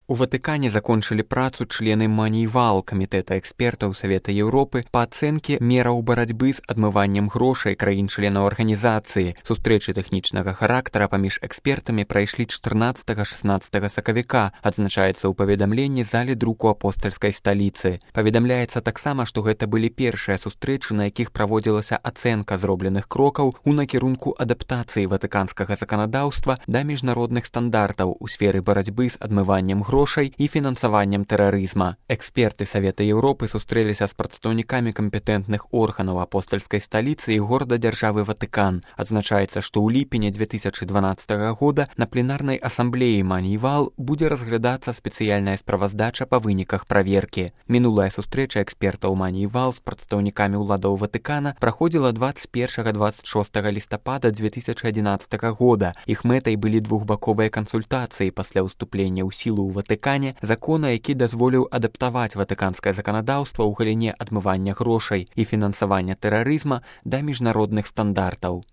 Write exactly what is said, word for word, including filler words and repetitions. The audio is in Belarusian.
У Ватыкане закончылі працу члены Манейвал, камітэта экспертаў Савета Еўропы па ацэнке мераў барацьбы з адмываннем грошай краін-членаў арганізацыі. Сустрэчы тэхнічнага характара паміж экспертамі прайшлі чатырнаццатага-шаснаццатага сакавіка, адзначаецца ў паведамленні залі друку апостальскай сталіцы. Паведамляецца таксама, што гэта былі першыя сустрэчы, на якіх праводзілася ацэнка зробленых крокаў у накірунку адаптацыі ватыканскага заканадаўства да міжнародных стандартаў у сферы барацьбы з адмываннем грошай грошай і фінансаваннем тэрарызма. Эксперты Савета Еўропы сустрэліся з прадстаўнікамі кампетэнтных органаў апостальскай сталіцы і горада дзяржавы Ватыкан. Адзначаецца, што ў ліпені дзве тысячы дванаццатага года на пленарнай асамблеі Манейвал будзе разглядацца спецыяльная справаздача па выніках праверкі. Мінулая сустрэча экспертаў Манейвал з прадстаўнікамі ўладаў Ватыкана праходзіла дваццаць першага - дваццаць шостага лістапада дзве тысячы адзінаццатага года. Іх мэтай былі двухбаковыя кансультацыі пасля ўступлення ў сілу ў Ватыкане закона, які дазволіў адаптаваць ватыканскае заканадаўства ў галіне адмывання грошай і фінансавання тэрарызма да міжнародных стандартаў.